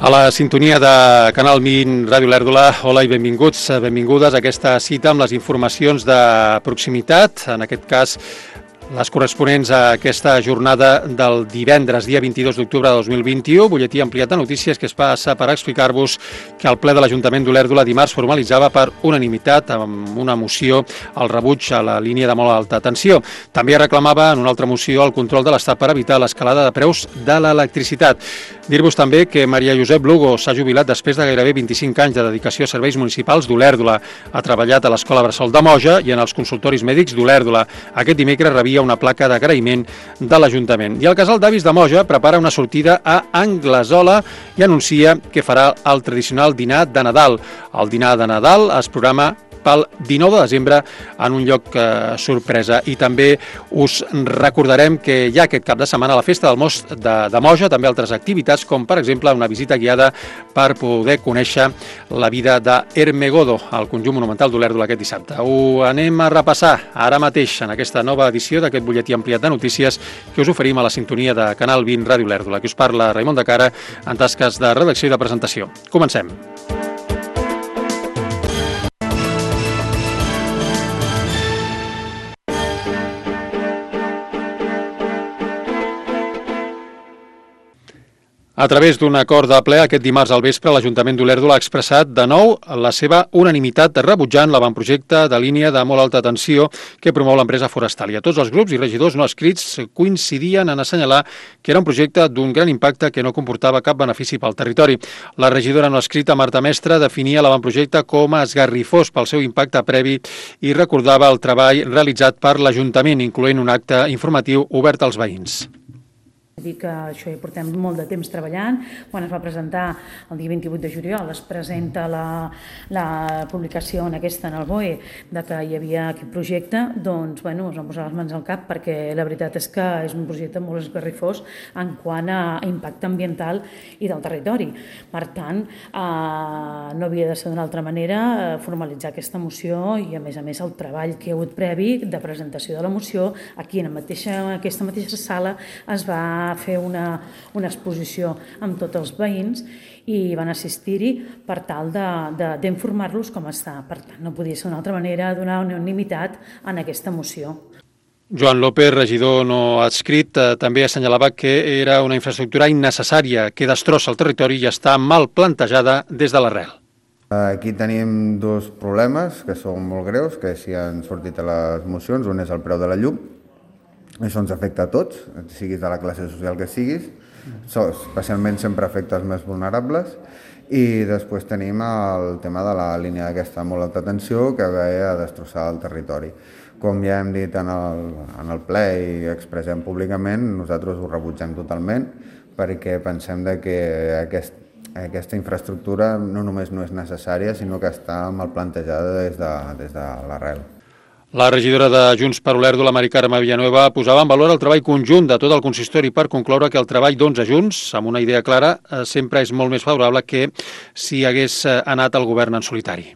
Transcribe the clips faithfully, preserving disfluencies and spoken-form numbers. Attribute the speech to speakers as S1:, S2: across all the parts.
S1: A la sintonia de Canal vint Ràdio Olèrdola, hola i benvinguts, benvingudes a aquesta cita amb les informacions de proximitat, en aquest cas les corresponents a aquesta jornada del divendres, dia vint-i-dos d'octubre de dos mil vint-i-u, butlletí ampliat de notícies que es passa per explicar-vos que el ple de l'Ajuntament d'Olèrdola dimarts formalitzava per unanimitat amb una moció el rebuig a la línia de molt alta tensió. També reclamava en una altra moció el control de l'Estat per evitar l'escalada de preus de l'electricitat. Dir-vos també que Maria Josep Lugo s'ha jubilat després de gairebé vint-i-cinc anys de dedicació a serveis municipals d'Olèrdola. Ha treballat a l'Escola Bressol de Moja i en els consultoris mèdics d'Olèrdola. Aquest dimecres rebia una placa d'agraïment de l'Ajuntament. I el Casal d'Avis de Moja prepara una sortida a Anglesola i anuncia que farà el tradicional dinar de Nadal. El dinar de Nadal es programa pel dinou de desembre en un lloc eh, sorpresa. I també us recordarem que hi ha aquest cap de setmana a la Festa del Most de, de Moja, també altres activitats, com per exemple una visita guiada per poder conèixer la vida d'Ermegodo, al conjunt monumental d'Olèrdola aquest dissabte. Ho anem a repassar ara mateix en aquesta nova edició d'aquest butlletí ampliat de notícies que us oferim a la sintonia de Canal vint Ràdio Olèrdola, que us parla Raimon de Cara en tasques de redacció i de presentació. Comencem. A través d'un acord de ple, aquest dimarts al vespre, l'Ajuntament d'Olèrdola ha expressat de nou la seva unanimitat rebutjant l'avantprojecte de línia de molt alta tensió que promou l'empresa forestal. I a tots els grups i regidors no escrits coincidien en assenyalar que era un projecte d'un gran impacte que no comportava cap benefici pel territori. La regidora no escrita, Marta Mestre, definia l'avantprojecte com a esgarrifós pel seu impacte previ i recordava el treball realitzat per l'Ajuntament, incloent un acte informatiu obert als veïns.
S2: Dir que això hi portem molt de temps treballant. Quan es va presentar el dia vint-i-vuit de juliol es presenta la, la publicació en aquesta en el B O E de que hi havia aquest projecte, doncs bueno, es van posar les mans al cap perquè la veritat és que és un projecte molt esgarrifós en quant a impacte ambiental i del territori. Per tant, eh, no havia de ser d'una altra manera eh, formalitzar aquesta moció i a més a més el treball que hi ha hagut previ de presentació de la moció aquí en, la mateixa, en aquesta mateixa sala es va fer una, una exposició amb tots els veïns i van assistir-hi per tal d'informar-los com està. Per tant, no podia ser d'una altra manera donar unanimitat en aquesta moció.
S1: Joan López, regidor no adscrit, eh, també assenyalava que era una infraestructura innecessària, que destrossa el territori i està mal plantejada des de l'arrel.
S3: Aquí tenim dos problemes que són molt greus, que sí han sortit a les mocions. Un és el preu de la llum. Això ens afecta a tots, siguis de la classe social que siguis, especialment sempre afecta els més vulnerables. I després tenim el tema de la línia d'aquesta molt alta tensió que ve a destrossar el territori. Com ja hem dit en el, en el ple i expressem públicament, nosaltres ho rebutgem totalment perquè pensem de que aquest, aquesta infraestructura no només no és necessària, sinó que està mal plantejada des de, des de l'arrel.
S1: La regidora de Junts per Olèrdola, Mari Carme Villanueva, posava en valor el treball conjunt de tot el consistori per concloure que el treball d'onze junts, amb una idea clara, sempre és molt més favorable que si hagués anat el govern en solitari.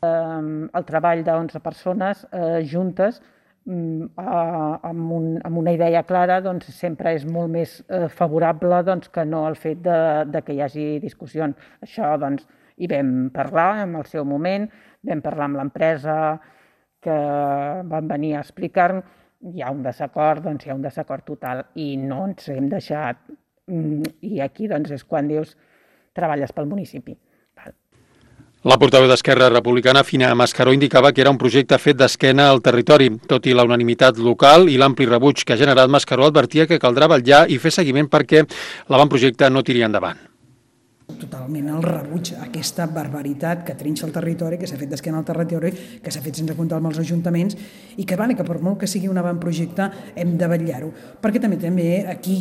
S4: El treball d'onze persones eh, juntes eh, amb, un, amb una idea clara doncs, sempre és molt més eh, favorable doncs, que no el fet de, de que hi hagi discussions. Això doncs, hi vam parlar en el seu moment, vam parlar amb l'empresa que van venir a explicar, hi ha un desacord, doncs hi ha un desacord total i no ens hem deixat. I aquí doncs, és quan dius treballes pel municipi.
S1: La portaveu d'Esquerra Republicana, Fina Mascaró, indicava que era un projecte fet d'esquena al territori. Tot i la unanimitat local i l'ampli rebuig que ha generat, Mascaró advertia que caldrà vetllar i fer seguiment perquè l'avantprojecte no tiri endavant.
S5: Totalment el rebuig a aquesta barbaritat que trinxa el territori, que s'ha fet d'esquena al territori, que s'ha fet sense comptar amb els ajuntaments i que, vale, que per molt que sigui un avantprojecte hem de vetllar-ho. Perquè també també aquí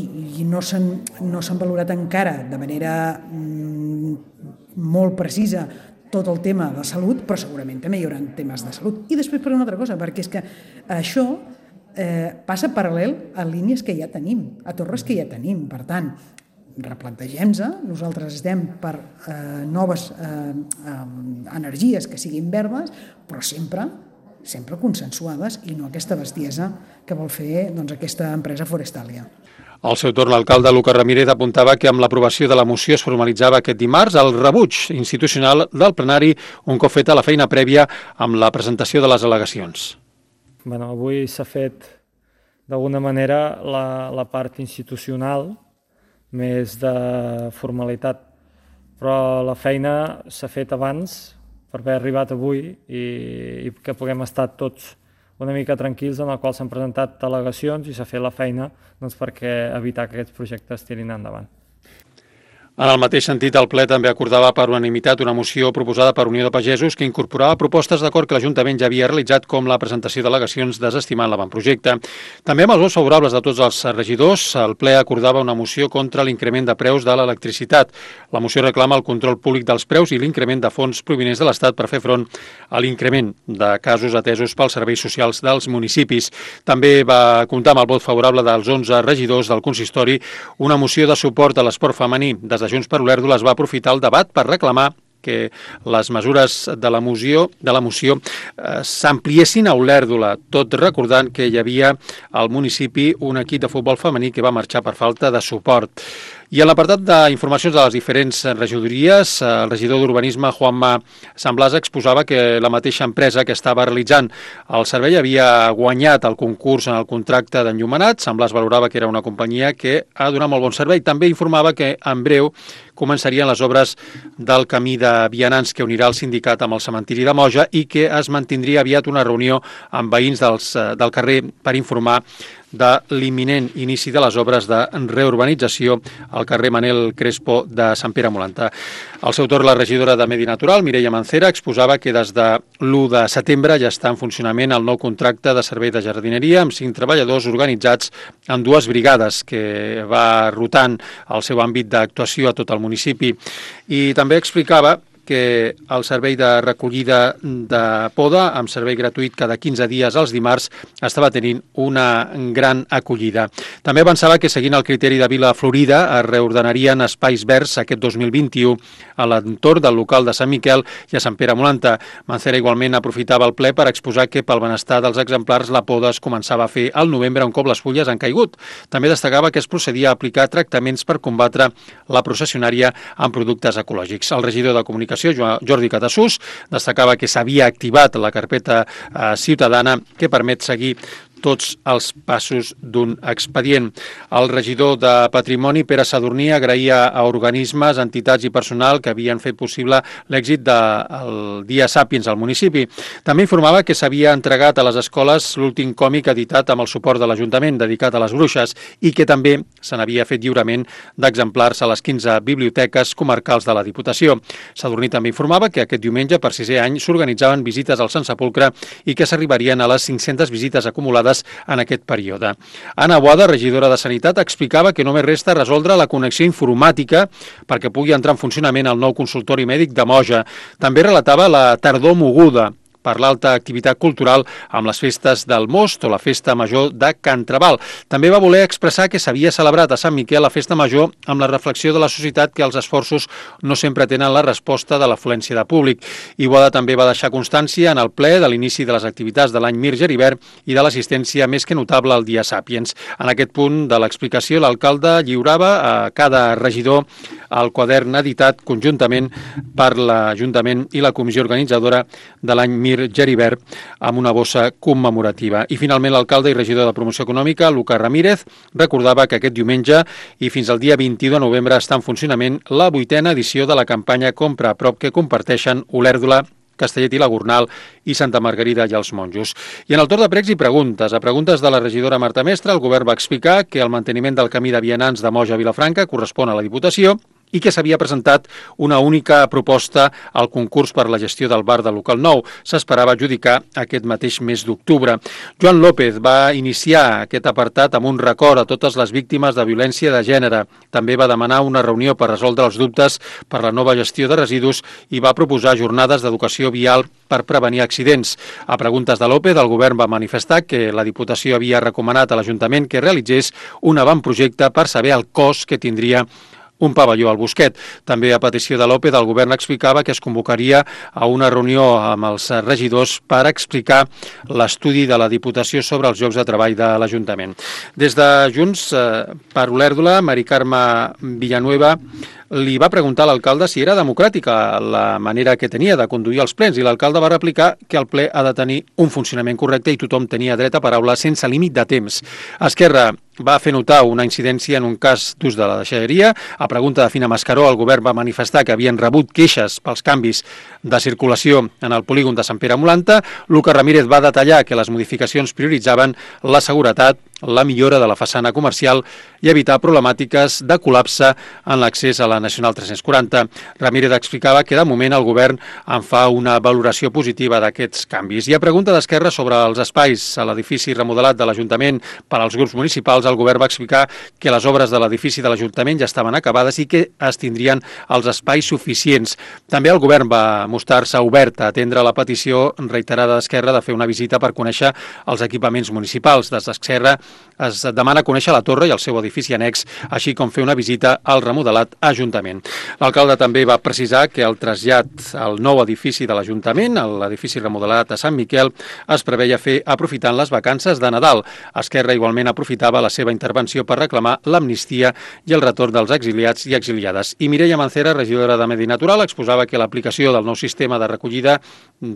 S5: no s'han no s'han valorat encara de manera mm, molt precisa tot el tema de salut, però segurament també hi haurà temes de salut. I després per una altra cosa, perquè és que això eh, passa paral·lel a línies que ja tenim, a torres que ja tenim. Per tant, replantegem-se, nosaltres estem per eh, noves eh, eh, energies que siguin verdes, però sempre sempre consensuades i no aquesta bestiesa que vol fer doncs, aquesta empresa Forestalia.
S1: Al seu torn, l'alcalde Lucas Ramírez apuntava que amb l'aprovació de la moció es formalitzava aquest dimarts el rebuig institucional del plenari un cop feta la feina prèvia amb la presentació de les al·legacions.
S6: Bueno, avui s'ha fet d'alguna manera la, la part institucional, més de formalitat, però la feina s'ha fet abans per haver arribat avui i, i que puguem estar tots una mica tranquils en el qual s'han presentat al·legacions i s'ha fet la feina doncs, perquè evitar que aquests projectes tirin endavant.
S1: En el mateix sentit, el ple també acordava per unanimitat una moció proposada per Unió de Pagesos que incorporava propostes d'acord que l'Ajuntament ja havia realitzat com la presentació d'al·legacions desestimant l'avantprojecte. També amb els vots favorables de tots els regidors, el ple acordava una moció contra l'increment de preus de l'electricitat. La moció reclama el control públic dels preus i l'increment de fons provinents de l'Estat per fer front a l'increment de casos atesos pels serveis socials dels municipis. També va comptar amb el vot favorable dels onze regidors del consistori una moció de suport a l'esport femení. Des de Junts per Olèrdola es va aprofitar el debat per reclamar que les mesures de la moció, de la moció eh, s'ampliessin a Olèrdola, tot recordant que hi havia al municipi un equip de futbol femení que va marxar per falta de suport. I en l'apartat d'informacions de les diferents regidories, el regidor d'Urbanisme, Juanma Sanblasa, exposava que la mateixa empresa que estava realitzant el servei havia guanyat el concurs en el contracte d'enllumenat. Sanblasa valorava que era una companyia que ha donat molt bon servei. També informava que en breu començarien les obres del camí de vianants que unirà el sindicat amb el cementiri de Moja i que es mantindria aviat una reunió amb veïns dels, del carrer per informar de l'imminent inici de les obres de reurbanització al carrer Manel Crespo de Sant Pere Molanta. Al seu torn, la regidora de Medi Natural, Mireia Mancera, exposava que des de l'u de setembre ja està en funcionament el nou contracte de servei de jardineria amb cinc treballadors organitzats en dues brigades que va rotant el seu àmbit d'actuació a tot el municipi. I també explicava que el servei de recollida de poda, amb servei gratuït cada quinze dies als dimarts, estava tenint una gran acollida. També avançava que, seguint el criteri de Vila Florida, es reordenarien espais verds aquest dos mil vint-i-u a l'entorn del local de Sant Miquel i a Sant Pere Molanta. Mancera igualment aprofitava el ple per exposar que pel benestar dels exemplars la poda es començava a fer al novembre un cop les fulles han caigut. També destacava que es procedia a aplicar tractaments per combatre la processionària amb productes ecològics. El regidor de Comunicació, Jordi Catassús, destacava que s'havia activat la carpeta eh, ciutadana que permet seguir tots els passos d'un expedient. El regidor de Patrimoni, Pere Sadurní, agraïa a organismes, entitats i personal que havien fet possible l'èxit del Dia Sàpiens al municipi. També informava que s'havia entregat a les escoles l'últim còmic editat amb el suport de l'Ajuntament, dedicat a les bruixes, i que també se n'havia fet lliurament d'exemplars a les quinze biblioteques comarcals de la Diputació. Sadurní també informava que aquest diumenge, per sisè any, s'organitzaven visites al Sant Sepulcre i que s'arribarien a les cinc-centes visites acumulades en aquest període. Anna Boada, regidora de Sanitat, explicava que només resta resoldre la connexió informàtica perquè pugui entrar en funcionament el nou consultori mèdic de Moja. També relatava la tardor moguda per l'alta activitat cultural amb les festes del Most o la Festa Major de Can Trabal. També va voler expressar que s'havia celebrat a Sant Miquel la Festa Major amb la reflexió de la societat que els esforços no sempre tenen la resposta de l'afluència de públic. Iguada també va deixar constància en el ple de l'inici de les activitats de l'any Mir Geribert i de l'assistència més que notable al Dia Sàpiens. En aquest punt de l'explicació, l'alcalde lliurava a cada regidor el quadern editat conjuntament per l'Ajuntament i la comissió organitzadora de l'any Mir Geribert amb una bossa commemorativa. I finalment l'alcalde i regidor de Promoció Econòmica, Lucas Ramírez, recordava que aquest diumenge i fins al dia vint-i-u de novembre està en funcionament la vuitena edició de la campanya Compra a prop que comparteixen Olèrdola, Castellet i la Gornal i Santa Margarida i els Monjos. I en el torn de pregs i preguntes, a preguntes de la regidora Marta Mestre, el govern va explicar que el manteniment del camí de vianants de Moja a Vilafranca correspon a la Diputació i que s'havia presentat una única proposta al concurs per la gestió del bar de local nou. S'esperava adjudicar aquest mateix mes d'octubre. Joan López va iniciar aquest apartat amb un record a totes les víctimes de violència de gènere. També va demanar una reunió per resoldre els dubtes per la nova gestió de residus i va proposar jornades d'educació vial per prevenir accidents. A preguntes de López, el govern va manifestar que la Diputació havia recomanat a l'Ajuntament que realitzés un avantprojecte per saber el cost que tindria un pavelló al Bosquet. També a petició de l'O P E del govern explicava que es convocaria a una reunió amb els regidors per explicar l'estudi de la Diputació sobre els llocs de treball de l'Ajuntament. Des de Junts per Olèrdola, Mari Carme Villanueva li va preguntar a l'alcalde si era democràtica la manera que tenia de conduir els plens i l'alcalde va replicar que el ple ha de tenir un funcionament correcte i tothom tenia dret a paraula sense límit de temps. Esquerra va fer notar una incidència en un cas d'ús de la deixalleria. A pregunta de Fina Mascaró, el govern va manifestar que havien rebut queixes pels canvis de circulació en el polígon de Sant Pere Molanta. Lucas Ramírez va detallar que les modificacions prioritzaven la seguretat, la millora de la façana comercial i evitar problemàtiques de col·lapse en l'accés a la Nacional tres-cents quaranta. Ramírez explicava que de moment el govern en fa una valoració positiva d'aquests canvis. I a pregunta d'Esquerra sobre els espais a l'edifici remodelat de l'Ajuntament per als grups municipals, el govern va explicar que les obres de l'edifici de l'Ajuntament ja estaven acabades i que es tindrien els espais suficients. També el govern va mostrar-se obert a atendre la petició reiterada d'Esquerra de fer una visita per conèixer els equipaments municipals. Des d'Esquerra es demana conèixer la torre i el seu edifici annex, així com fer una visita al remodelat Ajuntament. L'alcalde també va precisar que el trasllat al nou edifici de l'Ajuntament, l'edifici remodelat a Sant Miquel, es preveia fer aprofitant les vacances de Nadal. Esquerra igualment aprofitava la seva intervenció per reclamar l'amnistia i el retorn dels exiliats i exiliades. I Mireia Mancera, regidora de Medi Natural, exposava que l'aplicació del nou sistema de recollida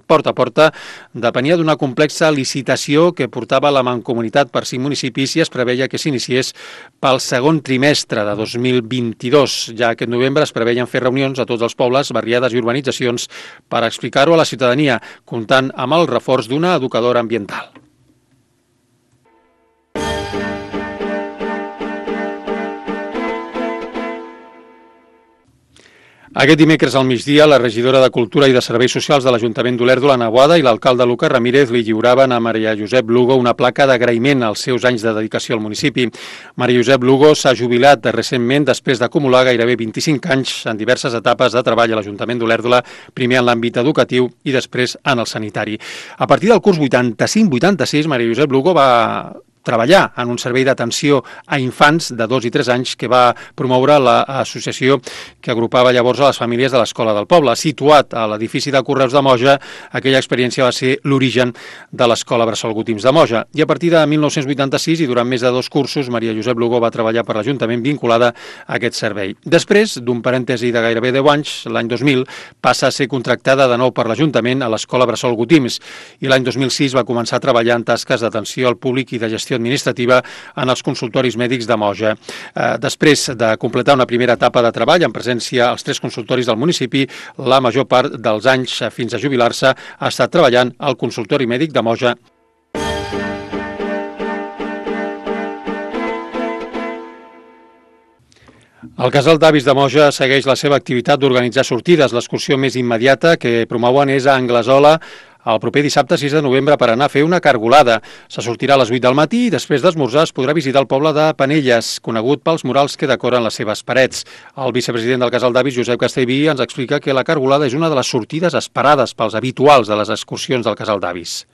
S1: porta a porta depenia d'una complexa licitació que portava la Mancomunitat per cinc municipis i es preveia que s'iniciés pel segon trimestre de dos mil vint-i-dos. Ja aquest novembre es preveien fer reunions a tots els pobles, barriades i urbanitzacions per explicar-ho a la ciutadania, comptant amb el reforç d'una educadora ambiental. Aquest dimecres al migdia, la regidora de Cultura i de Serveis Socials de l'Ajuntament d'Olèrdola, Ana Boada, i l'alcalde Lucas Ramírez li lliuraven a Maria Josep Lugo una placa d'agraïment als seus anys de dedicació al municipi. Maria Josep Lugo s'ha jubilat recentment després d'acumular gairebé vint-i-cinc anys en diverses etapes de treball a l'Ajuntament d'Olèrdola, primer en l'àmbit educatiu i després en el sanitari. A partir del curs vuitanta-cinc vuitanta-sis, Maria Josep Lugo va treballar en un servei d'atenció a infants de dos i tres anys que va promoure l'associació que agrupava llavors a les famílies de l'Escola del Poble. Situat a l'edifici de Correus de Moja, aquella experiència va ser l'origen de l'Escola Bressol Gotims de Moja. I a partir de mil nou-cents vuitanta-sis i durant més de dos cursos, Maria Josep Lugo va treballar per l'Ajuntament vinculada a aquest servei. Després d'un parèntesi de gairebé deu anys, l'any dos mil, passa a ser contractada de nou per l'Ajuntament a l'Escola Bressol Gotims i l'any dos mil sis va començar a treballar en tasques d'atenció al públic i de gestió administrativa en els consultoris mèdics de Moja. Després de completar una primera etapa de treball en presència als tres consultoris del municipi, la major part dels anys fins a jubilar-se ha estat treballant al consultori mèdic de Moja. El Casal d'Avis de Moja segueix la seva activitat d'organitzar sortides. L'excursió més immediata que promouen és a Anglesola el proper dissabte sis de novembre per anar a fer una cargolada. Se sortirà a les vuit del matí i després d'esmorzar es podrà visitar el poble de Penelles, conegut pels murals que decoren les seves parets. El vicepresident del Casal d'Avis, Josep Castellví, ens explica que la cargolada és una de les sortides esperades pels habituals de les excursions del Casal d'Avis.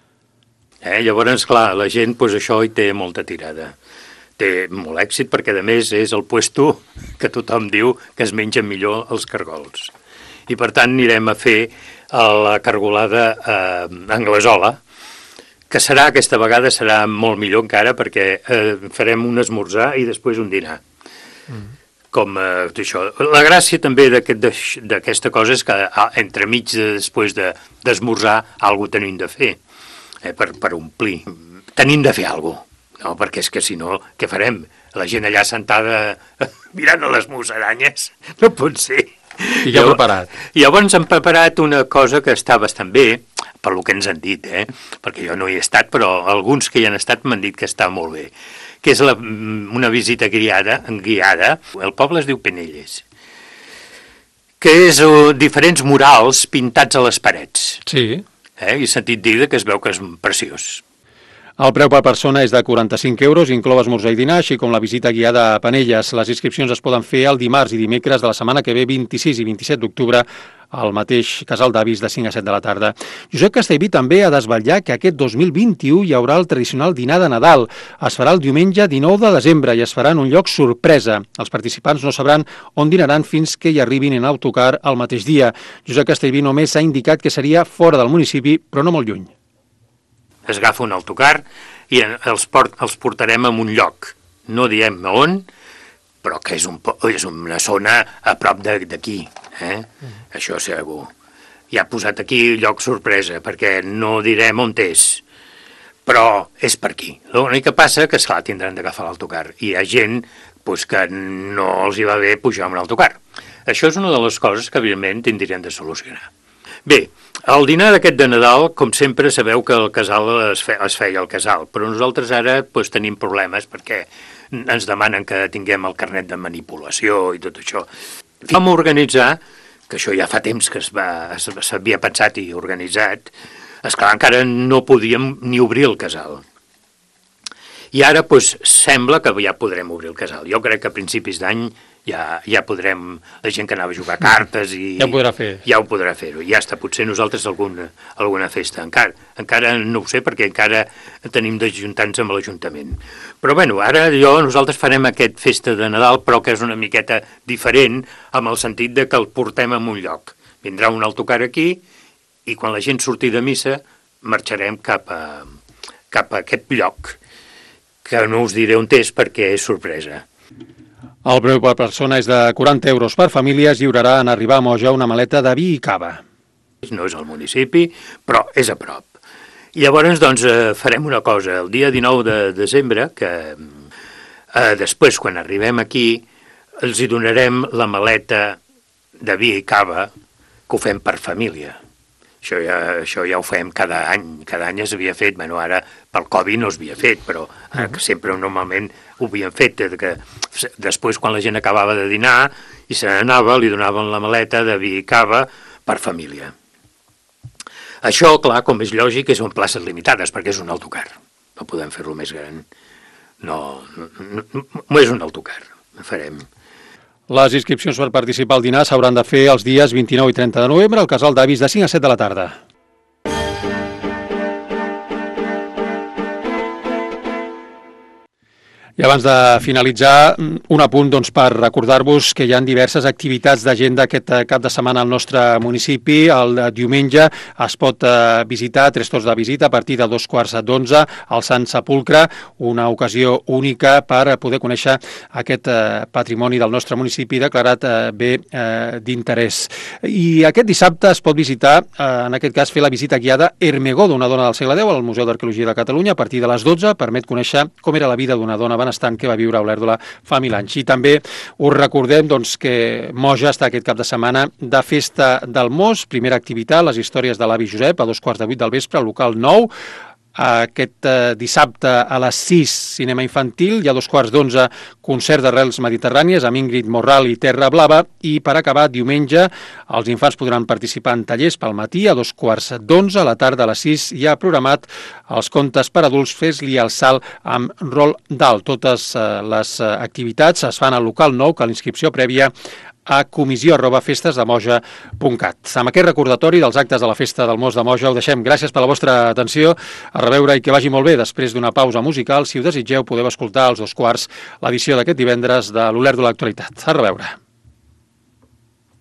S7: Eh, llavors, clar, la gent pues, això hi té molta tirada. Té molt èxit perquè, a més, és el puesto que tothom diu que es mengen millor els cargols. I, per tant, anirem a fer la cargolada eh, Anglesola, que serà, aquesta vegada, serà molt millor encara perquè eh, farem un esmorzar i després un dinar. Mm. Com eh, això. La gràcia també d'aquesta aquest, cosa és que entremig de, després d'esmorzar de, alguna cosa tenim de fer, eh, per, per omplir. Tenim de fer alguna cosa. No, perquè és que si no, què farem? La gent allà sentada mirant a les musaranyes? No pot ser.
S1: I ja preparat.
S7: Llavors hem preparat una cosa que està bastant bé, per lo que ens han dit, eh? Perquè jo no hi he estat, però alguns que hi han estat m'han dit que està molt bé, que és la, una visita guiada, guiada. El poble es diu Penelles, que és uh, diferents murals pintats a les parets.
S1: Sí.
S7: Eh? I he sentit dir que es veu que és preciós.
S1: El preu per persona és de quaranta-cinc euros, inclou esmorzar i dinar, així com la visita guiada a Penelles. Les inscripcions es poden fer el dimarts i dimecres de la setmana que ve, vint-i-sis i vint-i-set d'octubre, al mateix casal d'avis de cinc a set de la tarda. Josep Castellví també ha desvetllat que aquest dos mil vint-i-u hi haurà el tradicional dinar de Nadal. Es farà el diumenge dinou de desembre i es farà en un lloc sorpresa. Els participants no sabran on dinaran fins que hi arribin en autocar el mateix dia. Josep Castellví només ha indicat que seria fora del municipi, però no molt lluny.
S7: Es agafa un autocar i els, port, els portarem a un lloc. No diem on, però que és, un, és una zona a prop d'aquí. Eh? Mm. Això segur. Ja ha posat aquí lloc sorpresa, perquè no direm on és. Però és per aquí. L'únic que passa que, esclar, tindran d'agafar l'autocar. I hi ha gent pues, que no els hi va bé pujar amb l'autocar. Això és una de les coses que, evidentment, tindrien de solucionar. Bé, el dinar d'aquest de Nadal, com sempre, sabeu que el casal es, fe, es feia al casal, però nosaltres ara pues, tenim problemes perquè ens demanen que tinguem el carnet de manipulació i tot això. Vam organitzar, que això ja fa temps que s'havia pensat i organitzat, esclar, encara no podíem ni obrir el casal. I ara pues, sembla que ja podrem obrir el casal. Jo crec que a principis d'any ja, ja podrem, la gent que anava a jugar cartes i
S1: ja ho podrà fer.
S7: Ja ho podrà fer-ho. I ja està, potser nosaltres alguna, alguna festa. Encara, encara no ho sé perquè encara tenim d'ajuntar-nos amb l'Ajuntament. Però bueno, ara jo, nosaltres farem aquest festa de Nadal, però que és una miqueta diferent amb el sentit de que el portem a un lloc. Vindrà un autocar aquí i quan la gent surti de missa marxarem cap a, cap a aquest lloc, que no us diré on és perquè és sorpresa.
S1: El preu per persona és de quaranta euros per família. Es lliurarà en arribar a Moja una maleta de vi i cava.
S7: No és al municipi, però és a prop. I llavors, doncs, farem una cosa. El dia dinou de desembre, que eh, després, quan arribem aquí, els hi donarem la maleta de vi i cava que ho fem per família. Això ja, això ja ho fem cada any. Cada any s'havia fet, bueno, ara pel Covid no s'havia fet, però eh, que sempre normalment ho havien fet, que després quan la gent acabava de dinar i se n'anava, li donaven la maleta de vi i cava per família. Això, clar, com és lògic, és en places limitades, perquè és un autocar. No podem fer-lo més gran. No, no, no, no és un autocar, ho farem.
S1: Les inscripcions per participar al dinar s'hauran de fer els dies vint-i-nou i trenta de novembre al casal d'avis de cinc a set de la tarda. I abans de finalitzar, un apunt doncs, per recordar-vos que hi ha diverses activitats d'agenda aquest cap de setmana al nostre municipi. El diumenge es pot visitar, tres torns de visita, a partir de dos quarts d'onze, al Sant Sepulcre, una ocasió única per poder conèixer aquest patrimoni del nostre municipi declarat bé d'interès. I aquest dissabte es pot visitar, en aquest cas, fer la visita guiada Ermegó, d'una dona del segle deu, al Museu d'Arqueologia de Catalunya, a partir de les dotze, permet conèixer com era la vida d'una dona benestant que va viure a Olèrdola fa mil anys. I també us recordem doncs, que Moja està aquest cap de setmana de Festa del Mos, primera activitat, les històries de l'avi Josep, a dos quarts de vuit del vespre, al local nou. Aquest dissabte a les sis, cinema infantil, i a dos quarts d'onze, concert d'arrels mediterrànies amb Ingrid Morral i Terra Blava, i per acabar, diumenge, els infants podran participar en tallers pel matí, a dos quarts d'onze, a la tarda a les sis hi ha programat els contes per adults Fes-li el salt amb Roald Dahl. Totes les activitats es fan al local nou, que l'inscripció prèvia a comissió arroba festes de moja punt cat. Amb aquest recordatori dels actes de la Festa del Mos de Moja ho deixem. Gràcies per la vostra atenció. A reveure i que vagi molt bé. Després d'una pausa musical, si ho desitgeu, podeu escoltar als dos quarts l'edició d'aquest divendres de l'Olèrdola Actualitat. A reveure.